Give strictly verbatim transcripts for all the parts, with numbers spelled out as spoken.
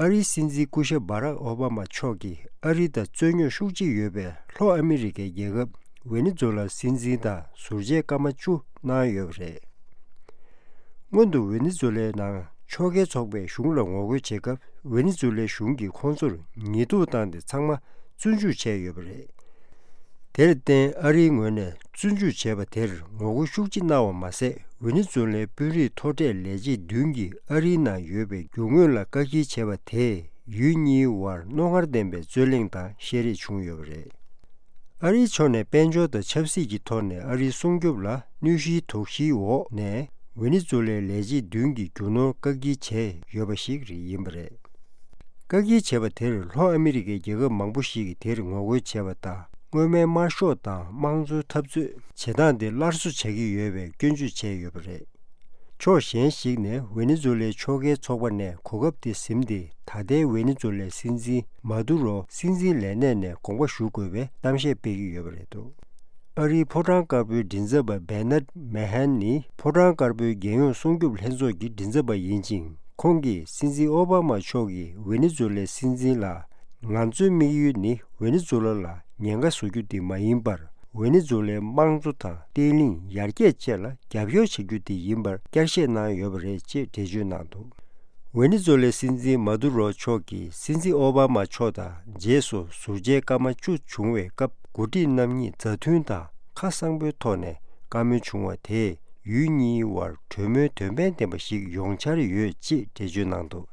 ཨ་རིའི་སྲིད་འཛིན་སྐུ་ཞབས་བྷ་རག་ཨོ་བྷ་མ་མཆོག་གིས་ཨ་རི་དང་རྩོད་རྙོག་ཤུགས་ཆེ་ཡོད་པའི་ལྷོ་ཨ་མི་རི་ཀའི་རྒྱལ་ཁབ་ཝེ་ནེ་ཛུ་ལ་སྲིད་འཛིན་དང་ཟུར་མཇལ་སྐར་མ་བཅུ་གནང་ཡོད་པ་རེད། སྔོན་དུ་ཝེ་ནེ་ཛུ་ལའི་ནང་ཕྱོགས་འགལ་ཚོགས་པས་གཞུང་ལ་ངོ་རྒོལ་བྱེད་སྐབས། ཝེ་ནེ་ཛུ་ལའི་གཞུང་གིས་ཁོང་ཚོར་ཉེས་འཛུགས་བཏང་སྟེ་ཚང་མ་བཙོན་འཇུག་བྱས་ཡོད་པ་རེད། དེར་བརྟེན་ཨ་རིའི་ངོས་ནས་བཙོན་འཇུག་བྱས་པ་དེར་ངོ་རྒོལ་ཤུགས་ཆེ་གནང་བ་མ་ཟད། ཝེ་ནེ་ཛུ་ལའི་དཔོན་རིགས་མཐོ་གྲས་ལས་བྱེད་བདུན་གྱིས་ཨ་རིའི་ནང་ཡོད་པའི་རྒྱུ་དངོས་ལ་བཀག་སྐྱིལ་བྱས་པ་དེས་ཡུལ་གཉིས་དབར་རྣོ་ངར་ལྡན་པའི་རྩོད་གླེང་དང་བཤད་རེས་བྱུང་ཡོད་པ་རེད། ཨ་རིའི་ཕྱོགས་ནས་དཔལ་འབྱོར་དང་ཆབ་སྲིད་ཀྱི་ཐོག་ནས་ཨ་རིའི་སྲུང་སྐྱོབ་ལ་གནོད་གཞིའི་དོགས་གཞིའི་འོག་ནས་ཝེ་ནེ་ཛུ་ལའི་ལས་བྱེད་བདུན་གྱིས་རྒྱུ་ནོར་བཀག་སྐྱིལ་བྱས་ཡོད་པ་ཞིག་རེད་ཡིན་པ་རེད། བཀག་སྐྱིལ་བྱས་པ་དེར་ལྷོ་ཨ་མི་རི་ཀའི་རྒྱལ་ཁབ་མང་པོ་ཞིག་གིས་དེར་ངོ་རྒོལ་བྱས་པ་དང་། སྔོན་མའི་དམར་ཤོག་དང་དམངས་གཙོའི་འཐབ་རྩོད་བྱེད་སྟངས་དེ་སླར་གསོ་བྱ་གི་ཡོད་པའི་སྐྱོན་བརྗོད་བྱས་ཡོད་པ་རེད། ཕྱོགས་གཞན་ཞིག་ནས་ཝེ་ནེ་ཛུ་ལའི་ཕྱོགས་འགལ་ཚོགས་པ་ནས་གོ་སྐབས་དེ་ཟིན་ཏེ། ད་ལྟའི་ཝེ་ནེ་ཛུ་ལའི་སྲིད་འཛིན་མ་དུ་རོ་སྲིད་འཛིན་ལས་གནས་ནས་དགོངས་པ་ཞུ་དགོས་པའི་གཏམ་བཤད་སྤེལ་གྱི་ཡོད་པ་རེད་འདུག་ཨ་རིའི་ཕོ་བྲང་དཀར་པོའི་མགྲིན་ཚབ་པ་བེ་ནར་མེ་ཧན་ནི། ཕོ་བྲང་དཀར་པོའི་རྒྱལ་ཡོངས་སྲུང་སྐྱོབ་ལྷན་ཚོགས་ཀྱི་མགྲིན་ཚབ་པ་ཡིན་ཅིང་། ཁོང་གིས་སྲིད་འཛིན་ཨོ་བྷ་མ་མཆོག་གིས་ཝེ་ནེ་ཛུ་ལའི་སྲིད་འཛིན་ལ། ང་ཚོའི་དམིགས་ཡུལ་ནི་ཝེ་ནེ་ཛུ་ལ་ལ་ཉེན་ཁ་བཟོ་རྒྱུ་དེ་མ་ཡིན་པར། ཝེ་ནེ་ཛུ་ལའི་དམངས་གཙོ་དང་བརྟན་ལྷིང་ཡར་རྒྱས་བཅས་ལ་རྒྱབ་སྐྱོར་བྱ་རྒྱུ་དེ་ཡིན་པར་བསྐྱར་བཤད་གནང་ཡོད་པ་རེད་ཅེས་འགྲེལ་བརྗོད་གནང་འདུག་ཝེ་ནེ་ཛུ་ལའི་སྲིད་འཛིན་མ་དུ་རོ་མཆོག་གིས་སྲིད་འཛིན་ཨོ་བྷ་མ་མཆོག་དང་རྗེས་སུ་ཟུར་མཇལ་སྐར་མ་བཅུ་བྱུང་བའི་སྐབས། འགོ་ཁྲིད་རྣམ་གཉིས་མཛའ་མཐུན་དང་ཁ་གསང་པོའི་ཐོག་ནས་བཀའ་མོལ་བྱུང་བ་དེས་ཡུལ་གཉིས་དབར་གྲོས་མོལ་དོན་ཕན་ལྡན་པ་ཞིག་ཡོང་འཆར་ཡོད་ཅེས་འགྲེལ་བརྗོད་གནང་འདུག་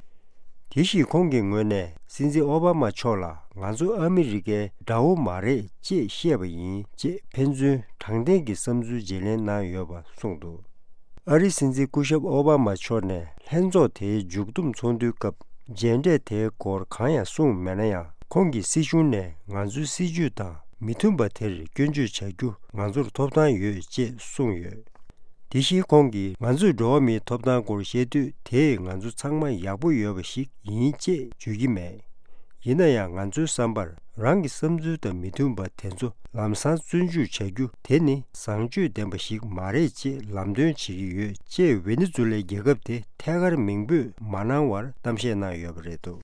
དེ་བཞིན་ཁོང་གི་ངོས་ནས་སྲིད་འཛིན་ཨོ་བྷ་མ་མཆོག་ལ་ང་ཚོ་ཨ་མི་རི་ཀའི་དགྲ་བོ་མ་རེད་ཅེས་བཤད་པ་ཡིན་ཅེས་ཕན་ཚུན་དྲང་བདེན་གྱི་བསམ་ཚུལ་བརྗེ་ལེན་གནང་ཡོད་པ་གསུངས་འདུག་ཨ་རིའི་སྲིད་འཛིན་སྐུ་ཞབས་ཨོ་བྷ་མ་མཆོག་ནས་ལྷན་ཚོགས་དེའི་མཇུག་བསྡོམས་ཚོགས་འདུའི་སྐབས་མཇལ་འཕྲད་དེའི་སྐོར་གང་ཡང་གསུངས་མེད་ན་ཡང་། ཁོང་གིས་སྲིད་གཞུང་ནས་ང་ཚོའི་སྲིད་ཇུས་དང་མི་མཐུན་པ་དེར་སྐྱོན་བརྗོད་བྱ་རྒྱུ་ང་ཚོར་ཐོབ་ཐང་ཡོད་ཅེས་གསུངས་ཡོད། དེ་བཞིན་ཁོང་གིས་ང་ཚོས་འགྲོ་བ་མིའི་ཐོབ་ཐང་སྐོར་བཤད་དུས། དེས་ང་ཚོ་ཚང་མ་ཡག་པོ་ཡོད་པ་ཞིག་ཡིན་ཅེས་བརྗོད་ཀྱི་མེད། ཡིན་ན་ཡང་ང་ཚོའི་བསམ་པར་རང་གི་བསམ་ཚུལ་དང་མི་མཐུན་པ་དེ་ཚོ་ལམ་སང་བཙོན་འཇུག་བྱ་རྒྱུ་དེ་ནི་བཟང་སྤྱོད་ལྡན་པ་ཞིག་མ་རེད་ཅེས་ལམ་སྟོན་བྱེད་ཀྱི་ཡོད་ཅེས་ཝེ་ནེ་ཛུ་ལའི་རྒྱལ་ཁབ་དེ་ཐད་ཀར་མིང་འབོད་མ་གནང་བར་གཏམ་བཤད་གནང་ཡོད་པ་རེད་འདུག